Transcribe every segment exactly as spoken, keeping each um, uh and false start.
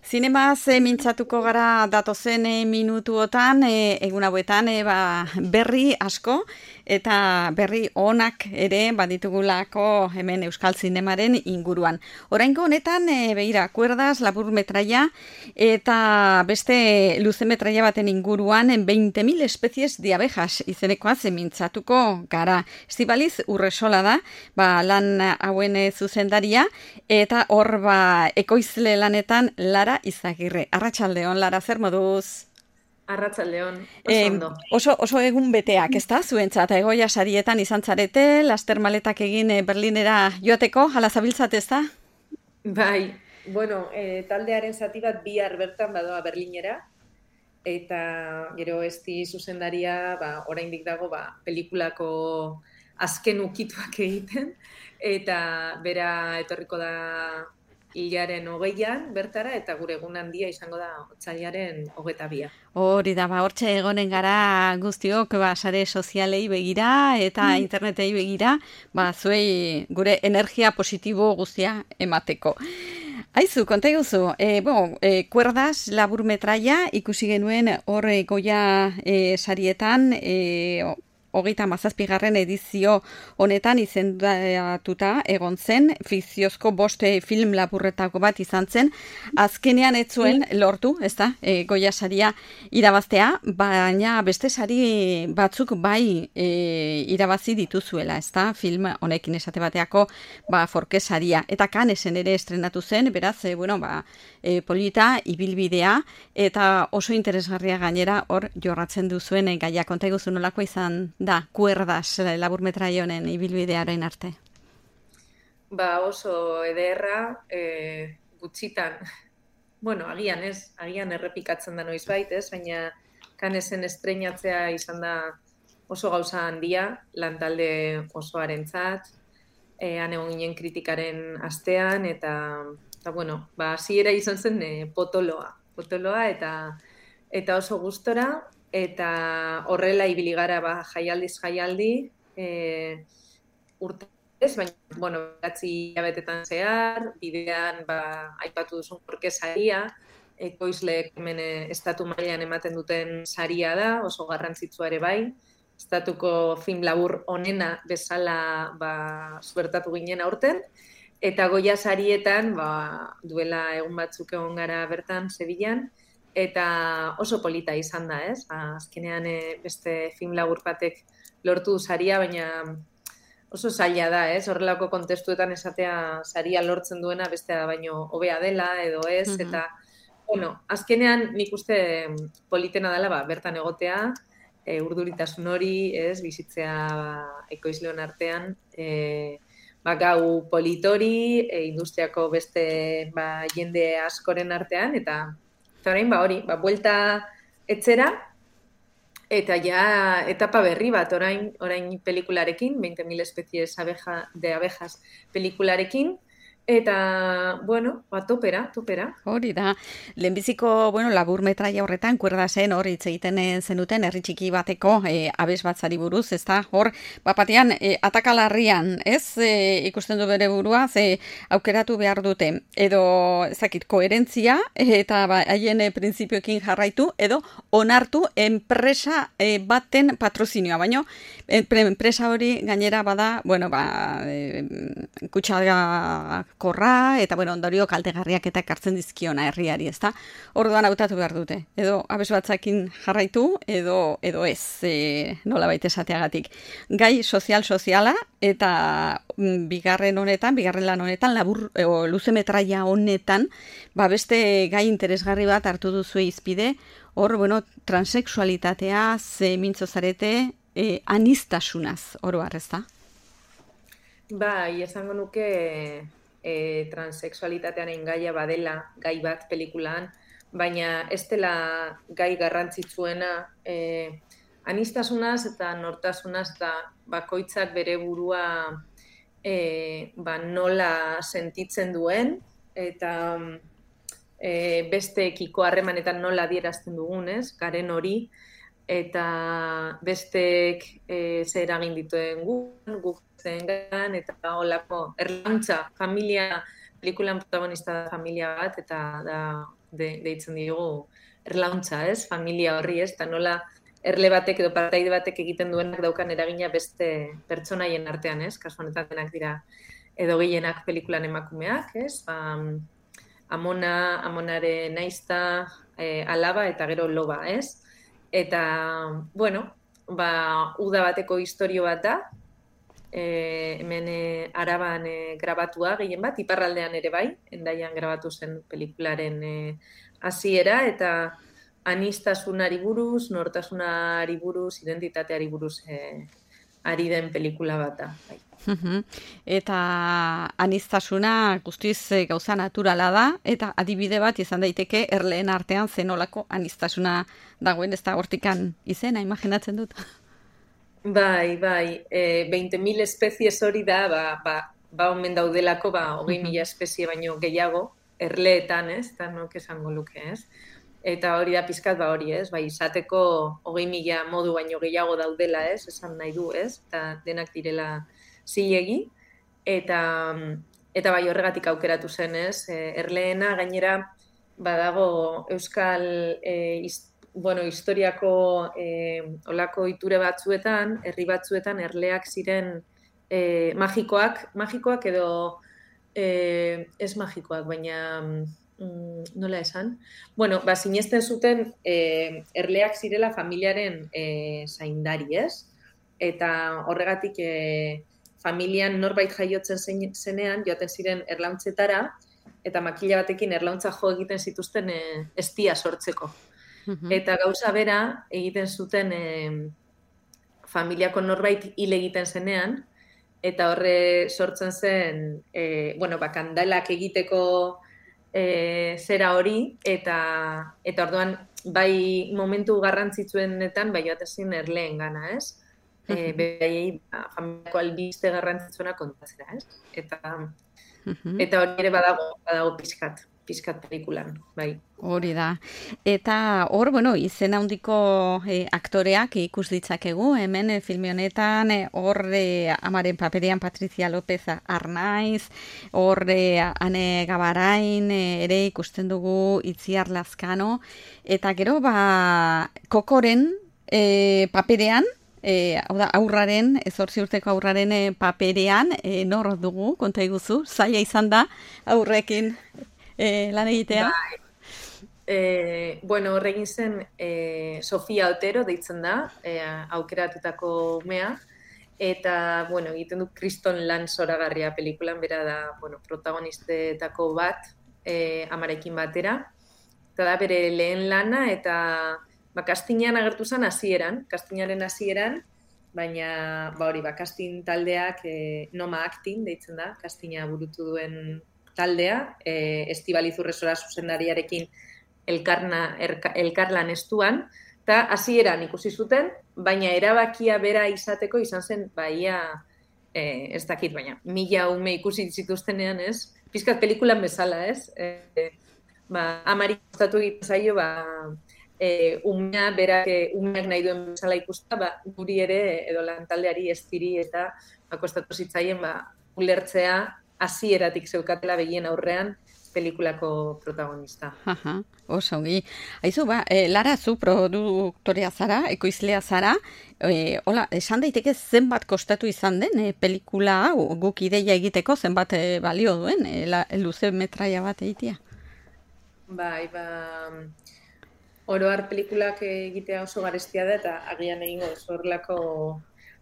Zinemaz e, mintzatuko gara datozen e, minutuotan, e, egun hauetan e, ba, berri asko, eta berri onak ere baditugulako hemen Euskal Zinemaren inguruan. Oraingo honetan, e, begira, kuerdaz, labur metraia, eta beste luze metraia baten inguruan, veinte mil espezies de abejas izenekoaz mintzatuko gara. Estibaliz Urresola da, ba, lan hauen e, zuzendaria, eta hor ba, ekoizle lanetan Lara Izagirre. Arratsaldeon, Lara, zer moduz? Arratsaldeon, oso Eh, ondo. oso, oso egun beteak, ez da? Zuentzat, egoia sarietan izan zarete, laster maletak egin eh, Berlinera joateko, hala zabiltzat, ez da? Bai, bueno, e, taldearen zati bat bihar bertan badoa Berlinera, eta gero esti zuzendaria, ba, oraindik dago, ba, pelikulako azken ukituak egiten, eta bera etorriko da hilaren hogeian bertara, eta gure egun handia izango da otsailaren hogeta bia. Hori da, ba, hortxe egonen gara guztiok, ba, sare sozialei begira eta internetei begira, ba, zuei gure energia positibo guztia emateko. Aizu, konta eguzu, e, bueno, e, kuerdaz labur metraia ikusi genuen hor e, goia e, sarietan, e, hogeita mazazpigarren edizio honetan izendatuta egon zen, fikziozko boste film laburretako bat izan zen, azkenean ez zuen lortu, ez da, e, goia saria irabaztea, baina beste sari batzuk bai e, irabazi dituzuela, ez da, film honekin esate bateako ba, forke saria, eta Canesen ere estrenatu zen, beraz, e, bueno, ba, e, polita, ibilbidea, eta oso interesgarria gainera hor jorratzen duzuen e, gaia, konta eguzu nolako izan da, kuerdaz labur metraia honen ibilbidearen arte? Ba oso ederra, e, gutxitan, bueno, agian ez, agian errepikatzen da noizbait, ez, baina Canesen estreinatzea izan da oso gauza handia, lantalde osoarentzat, e, han egon ginen kritikaren astean, eta, eta bueno, ba, hasiera izan zen e, potoloa, potoloa, eta, eta oso gustora, eta horrela ibili gara ba, jaialdiz jaialdi, e, urtez, baina, bueno, beratzi hilabetetan zehar, bidean, ba, aipatu duzun porke saria, ekoizleek hemen estatu mailan ematen duten saria da, oso garrantzitsua ere bai, estatuko film labur onena bezala ba, zuertatu ginen aurten, eta goia sarietan, ba, duela egun batzuk egon gara bertan, Sevillan, eta oso polita izan da, ez? Azkenean e, beste film labur batek lortu du saria, baina oso zaila da, ez? Horrelako kontestuetan esatea saria lortzen duena bestea baino hobea dela edo ez, Mhm. eta bueno, azkenean nik uste politena dela, ba, bertan egotea, e, urduritasun hori, ez? Bizitzea ba, ekoizleon artean, e, ba, gau politori, e, industriako beste ba, jende askoren artean, eta Eta orain, ba, hori, ba, buelta etzera, eta ja etapa berri bat, orain, orain pelikularekin, veinte mil espezies abeja, de abejas pelikularekin, eta, bueno, ba, topera, topera. Hori da, lehenbiziko, bueno, labur metraia horretan, kuerda zen, hor hitz egiten zenuten, herri txiki bateko e, abes batzari buruz, ez da, hor, bapatean, e, atakalarrian, ez, e, ikusten du bere burua, ze aukeratu behar dute, edo, ezakit, koherentzia, eta ba, haien e, printzipioekin jarraitu, edo onartu enpresa e, baten patrozinioa, baino, enpresa hori gainera bada, bueno, ba, e, kutsakorra, eta, bueno, ondorio kaltegarriak eta ekartzen dizkiona herriari, ezta? Orduan hautatu behar dute. Edo abes batzakin jarraitu, edo edo ez, e, nolabait esateagatik. Gai sozial-soziala, eta mm, bigarren honetan, bigarren lan honetan, labur, e, o, luze metraia honetan, ba beste gai interesgarri bat hartu duzu izpide, hor, bueno, transexualitatea, ze mintzo zarete, e, anistasunaz, oro har, ezta? Bai, esango nuke e, transexualitatearen gaia badela gai bat pelikulan, baina ez dela gai garrantzitsuena e, anistasunaz eta nortasunaz eta bakoitzak bere burua e, ba, nola sentitzen duen, eta e, besteekiko harremanetan nola adierazten dugun, ez, garen hori, eta besteek e, zer eragin dituen guk, guk zengan, eta holako erlantza, familia pelikulan protagonista da familia bat, eta da, de, deitzen diogu, erlauntza, ez? Familia horri, ez? Eta nola erle batek edo partaide batek egiten duenak daukan eragina beste pertsonaien artean, ez? Kasu honetan denak dira edo gehienak pelikulan emakumeak, ez? Ba, amona, amonaren naizta, e, alaba eta gero loba, ez? Eta, bueno, ba, uda bateko istorio bat da, e, hemen e, Araban e, grabatua gehien bat, iparraldean ere bai, Hendaian grabatu zen pelikularen e, hasiera, eta anistasunari buruz, nortasunari buruz, identitateari buruz e, ari den pelikula bat da. Bai. Eta anistasuna guztiz gauza naturala da, eta adibide bat izan daiteke erleen artean zenolako anistasuna dagoen, ez da hortikan izena, imaginatzen dut. Bai, bai, e, veinte mil espezies hori da, ba, ba, ba omen daudelako, ba, hogei mila espezie baino gehiago, erleetan, ez, eta nok esango luke, ez. Eta hori da pizkat, ba hori, ez, bai, izateko hogei mila modu baino gehiago daudela, ez, esan nahi du, ez, eta denak direla zilegi, eta, eta bai horregatik aukeratu zen, ez, erleena gainera badago euskal e, iz, bueno, historiako e, olako iture batzuetan, herri batzuetan erleak ziren e, magikoak, magikoak edo e, ez magikoak, baina mm, nola esan? Bueno, ba, sinesten zuten e, erleak zirela familiaren e, zaindari, ez? Eta horregatik e, familian norbait jaiotzen zenean, joaten ziren erlauntzetara, eta makila batekin erlauntza jo egiten zituzten e, estia sortzeko. Uh-huh. Eta gauza bera egiten zuten e, familiako norbait hil egiten zenean, eta horre sortzen zen, e, bueno, ba, kandalak egiteko e, zera hori, eta, eta orduan, bai momentu garrantzitsuenetan, bai joaten ziren erleen gana, ez? E, Behaiei ba, familiako albiste garrantzitsuena kontatzera, ez? Eta, uh-huh. eta hori ere badago, badago pizkat, pizkat pelikulan, bai. Hori da. Eta hor, bueno, izen handiko e, aktoreak ikus ditzakegu, hemen e, filme honetan, e, hor e, amaren paperean Patricia López Arnaiz, hor e, Ane Gabarain e, ere ikusten dugu Itziar Lazkano, eta gero, ba, Kokoren e, paperean, E, hau da, aurraren, zortzi urteko aurraren e, paperean, e, nor dugu, konta iguzu, zaila izan da aurrekin e, lan egitea? Bai. E, bueno, horregin zen e, Sofia Otero deitzen da, e, aukeratutako umea, eta, bueno, egiten du kriston lan zoragarria pelikulan, bera da, bueno, protagonistetako bat, e, amarekin batera, eta da bere lehen lana, eta ba, kastinean agertu zen hasieran, kastinaren hasieran, baina ba hori, ba, kastin taldeak e, Noma Acting deitzen da, kastina burutu duen taldea, e, Estibaliz Urresola zuzendariarekin elkarna, erka, elkarlan estuan, eta hasieran ikusi zuten, baina erabakia bera izateko izan zen, baia, e, ez dakit, baina mila ume ikusi zituztenean, ez? Pizkat pelikulan bezala, ez? E, ba, amari kostatu egiten zaio, ba, E, umea, berak e, umeak nahi duen bezala ikusta, ba, guri ere edo lantaldeari estiri eta bakostatu zitzaien ba, ulertzea hasieratik zeukatela begien aurrean pelikulako protagonista. Aha, oso ongi. Aizu, ba, e, Lara, zu produktorea zara, ekoizlea zara, e, hola, esan daiteke zenbat kostatu izan den e, pelikula hau guk ideia egiteko zenbat e, balio duen, e, la, luze metraia bat egitea? Bai, ba... Oroar pelikulak egitea oso garestia da, eta agian egingo zorlako,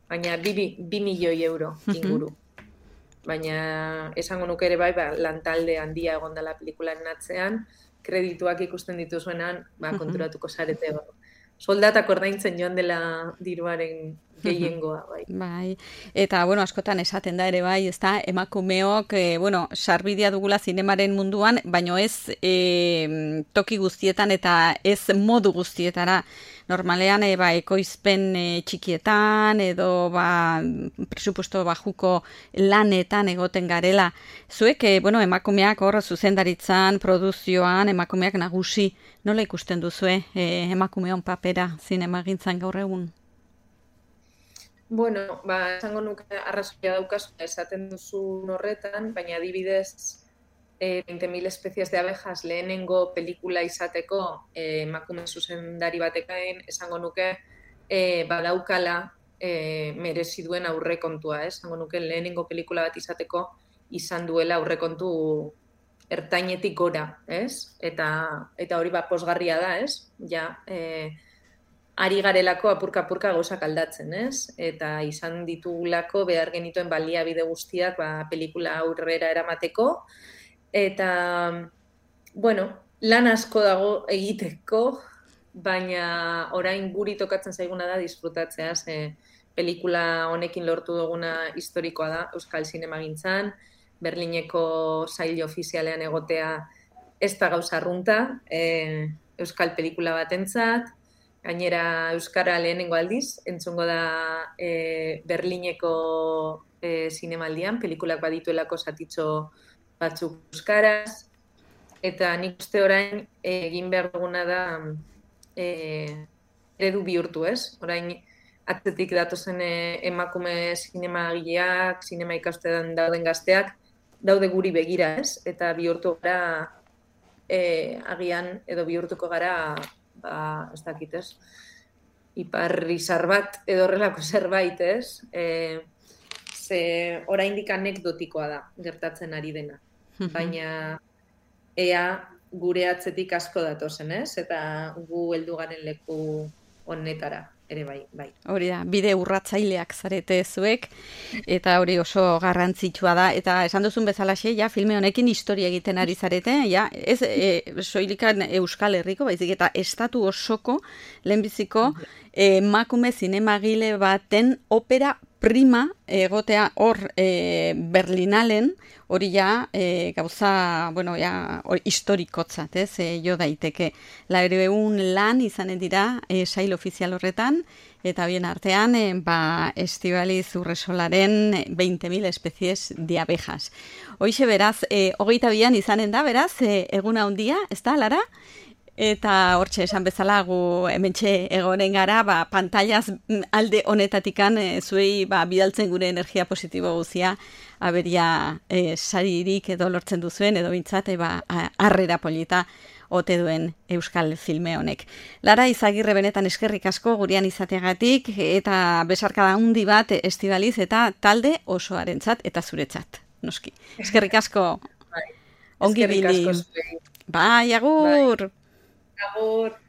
baina bi, bi milioi euro inguru. Baina esango nuke ere bai, ba, lantalde handia egon dela pelikularen atzean, kredituak ikusten dituzuenan, ba, konturatuko zarete. Ba. Soldatak ordaintzen joan dela diruaren gehiengoa, bai. Bai. Eta, bueno, askotan esaten da ere bai, ez da, emakumeok, e, bueno, sarbidea dugula zinemaren munduan, baino ez e, toki guztietan eta ez modu guztietara. Normalean, e, ba, ekoizpen e, txikietan, edo, ba, presupuesto bajuko lanetan egoten garela. Zuek, e, bueno, emakumeak hor zuzendaritzan, produzioan, emakumeak nagusi, nola ikusten duzue e, emakumeon papera zinemagintzan gaur egun? Bueno, ba, esango nuke arrazoia daukazu esaten duzu horretan, baina adibidez e, veinte mil especies de abejas lehenengo pelikula izateko e, emakume zuzendari batekain esango nuke e, badaukala e, merezi duen aurrekontua, ez? Esango nuke lehenengo pelikula bat izateko izan duela aurrekontu ertainetik gora, ez? Eta, eta hori ba posgarria da, ez? Ja, e, ari garelako apurka-apurka gauzak aldatzen, ez? Eta izan ditugulako behar genituen baliabide guztiak ba, pelikula aurrera eramateko. Eta, bueno, lan asko dago egiteko, baina orain guri tokatzen zaiguna da disfrutatzea, ze pelikula honekin lortu duguna historikoa da Euskal Zinemagintzan, Berlineko sail ofizialean egotea ez da gauza arrunta, e, Euskal pelikula batentzat, gainera Euskara lehenengo aldiz, entzungo da e, Berlineko e, zinemaldian, pelikulak badituelako zatitxo batzuk euskaraz, eta nik uste orain egin behar duguna da e, eredu bihurtu, ez? Orain atzetik datozen e, emakume zinemagileak, zinema ikastean dauden gazteak, daude guri begira, ez? Eta bihurtu gara, e, agian edo bihurtuko gara, ba, ez dakit, ez? Iparrizar bat edo horrelako zerbait, ez? E, ze oraindik anekdotikoa da gertatzen ari dena. Baina ea gure atzetik asko datozen, ez? Eta gu heldu garen leku honetara ere bai, bai. Hori da, bide urratzaileak zarete zuek, eta hori oso garrantzitsua da, eta esan duzun bezalaxe, ja, filme honekin historia egiten ari zarete, ja, ez e, soilikan Euskal Herriko, baizik eta estatu osoko, lehenbiziko, emakume zinemagile baten opera prima egotea hor e, Berlinalen, hori ja e, gauza, bueno, ja, hori historikotzat, ez, e, jo daiteke. Laurehun lan izanen dira e, sail ofizial horretan, eta bien artean, e, ba, Estibaliz Urresolaren veinte mil especies de abejas. Hoixe beraz, e, hogeita bian izanen da, beraz, e, eguna handia, ez da, Lara? Eta hortxe esan bezala gu hementxe egonen gara, ba, pantallaz alde honetatikan e, zuei ba, bidaltzen gure energia positibo guzia aberia e, saririk edo lortzen duzuen, edo bintzate ba, harrera polita ote duen euskal filme honek. Lara Izagirre, benetan eskerrik asko gurean izateagatik, eta besarkada handi bat Estibaliz eta talde osoarentzat eta zuretzat, noski. Eskerrik asko. Bai. Ongi bili. Bai, agur. Bai. Agur.